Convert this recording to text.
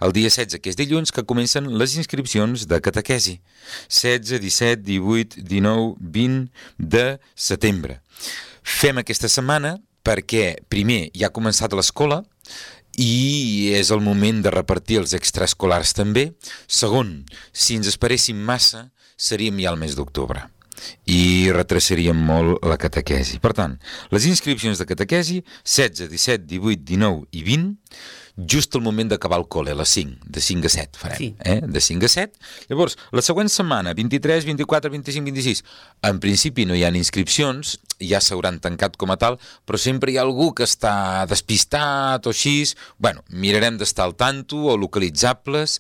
el dia 16, que és dilluns, que comencen les inscripcions de catequesi. 16, 17, 18, 19, 20 de setembre. Fem aquesta setmana perquè, primer, ja ha començat l'escola i és el moment de repartir els extraescolars també. Segon, si ens esperéssim massa, seríem ja al mes d'octubre i retrasaríem molt la catequesi. Per tant, les inscripcions de catequesi 16, 17, 18, 19 i 20, just al moment d'acabar el col·le, a les 5, de 5 a 7 farem, Sí. De 5 a 7. Llavors, la següent setmana, 23, 24, 25, 26, en principi no hi ha inscripcions, ja s'hauran tancat com a tal, però sempre hi ha algú que està despistat o així. Bueno, mirarem d'estar al tanto o localitzables.